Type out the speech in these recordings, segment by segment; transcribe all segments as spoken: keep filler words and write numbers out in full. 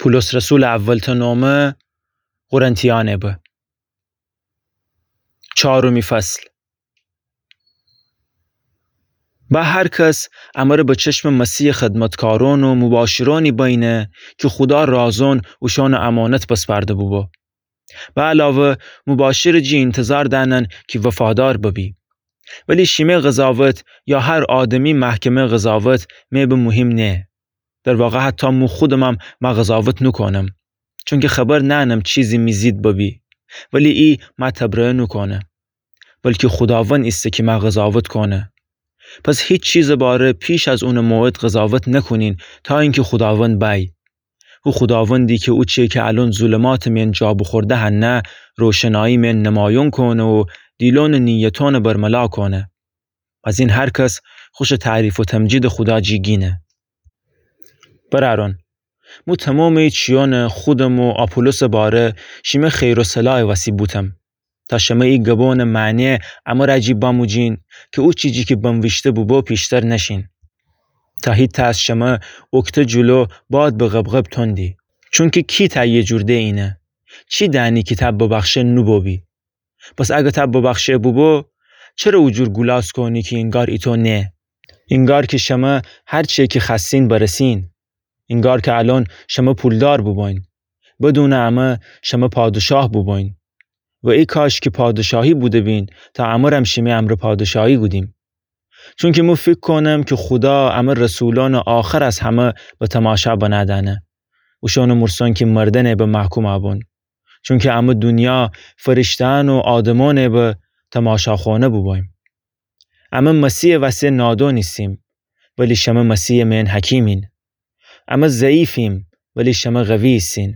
پولس رسولٚ اولتأ نومه قرنتیأنه به. چهارمی فصل. به هر کس امره به چشمٚ مسیحٚ خدمتکارون و مباشرونی بأینه کی خودا رازون اوشانٚ امانت بسپرده بوبو. به علاوه مباشرٚ جی اینتظار دأنن کی وفادار ببی. ولی شیمه قضاوت یا هر آدمی محکمه قضاوت مه به مهم نه. در واقع حتی مو خودمم مه قضاوت نوکونم. چونکی خبر نأنم چیزی می ضد ببی. ولی ای مه تبرئه نوکونه. بلکی خوداوند ایسه کی مه قضاوت کونه. پس هیچ چیزٚ باره پیش از اونٚ موعد قضاوت نکونین تا اینکی خوداوند بأی. هو خوداوندی کی اوچیه کی الأن ظلماتٚ مئن جا بوخورده هنه، روشنایی مئن نمایون کونه و دیلونٚ نیتونٚ برملا کونه. از این هر کس خوشٚ تعریف و تمجیدٚ خودا جی گینه. برأرون، مو تمامٚ ای چیونٚ خودم و آپولوسٚ باره شیمه خیر و صلاحٚ وسی بوتم، تا شمه ای گبونٚ معنی امر جی بموجین کی او چیزی کی بنویشته بوبو پیشتر نشین. تا هیتأ از شمه اوکته جلو باد به غبغب تندی. چونکی کی تأیه جور ده اینه؟ چی دأنی کی تأ ببخشه نوبوبی؟ پس اگه تأ ببخشه بوبو، چره او جور گولاس کونی کی اینگار ایتو نه؟ اینگار کی شمه هر چیه کی خوأستین برسین. اینگار کی الأن شمه پولدار بوبوین. بدونٚ امه شمه پادشاه بوبوین. و ای کاش کی پادشاهی بوده‌بین تا امرم شیمه امرأ پادشاهی کودیم. چونکی مو فیکر کونم کی خودا امه رسولأنٚ آخر از همه به تماشا بنأ دأنه. اوشانٚ مرسون کی مردنه به محکوم بون. چونکی امه دونیا فرشته‌یأن و آدمأنه به تماشاخونه بوبویم. امه مسیحٚ وسه نادون ایسیم، ولی شمه مسیحٚ مئن حکیمین. امه ضعیفیم، ولی شمه قوی ایسین.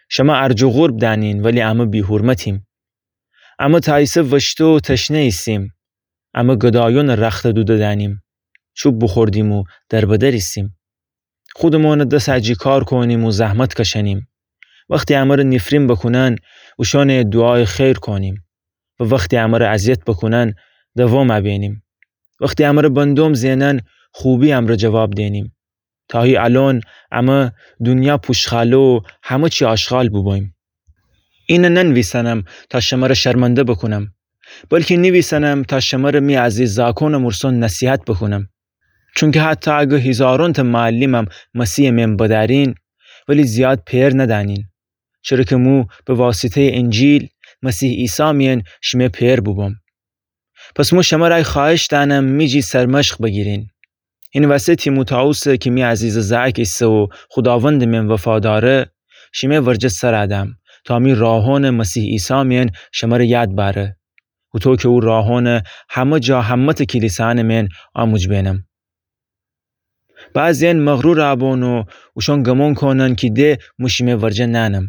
شمه ارج و قورب دأنین، ولی امه بی‌حرمتیم. امه تأیسه وشته و تشنه ایسیم. امه گدایونٚ رخت دوده دأنیم. چوب بوخوردیم و دربدر ایسیم. خودمونٚ دس جی کار کونیم و زحمت کشنیم. وختی امره نیفرین بکونن، اوشانه دوعایٚ خیر کونیم. و وختی امره اذیت بکونن، دوام بینیم. وختی امره بندوم زئنن، خوبی امره جواب دینیم. تا هی الأن امه دونیا پوشخاله و همه چی آشغال بوبویم. اینه ننویسنم تا شمره شرمنده بکونم، بلکی نیویسنم تا شمره می عزیز زاکونٚ مرسون نصیحت بکونم. چونکی حتی اگه هیزارونتأ معلمم مسیحٚ مئن بدأرین، ولی زیاد پئر ندأنین. چره کی مو به واسطه‌یٚ انجیل مسیح عیسی مئن شیمه پئر بوبوم. پس مو شمره ای خوأهش دأنم می جی سرمشق بگیرین. هینٚ وسه تیموتائوسه کی می عزیزٚ زأک ایسه و خوداوندٚ مئن وفاداره، شیمه ورجه سر دم، تا می راهونٚ مسیح عیسی مئن شمره یاد بأره. هوطو کی او راهونٚ همه جا همه‌تأ کلیسانٚ مئن آموج بینم. بعضی‌یأن مغرور بون و اوشان گمون کونن کی ده مو شیمه ورجه نأنم.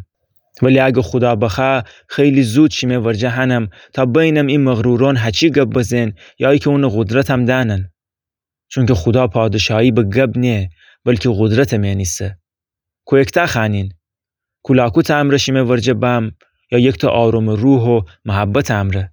ولی اگه خودا بخوأ، خیلی زود شیمه ورجه هنم تا بینم ای مغرورون هچی گب بزن یا ایکه اونٚ قدرتم دأنن. چونکی خودا پادشاهی به گب نه، بلکی قدرتٚ مئن ایسه. کویکتأ خوأنین، کولاکوتٚ امرأ شیمه ورجه بم، یا یکتأ آرومٚ روح و محبتٚ امرأ؟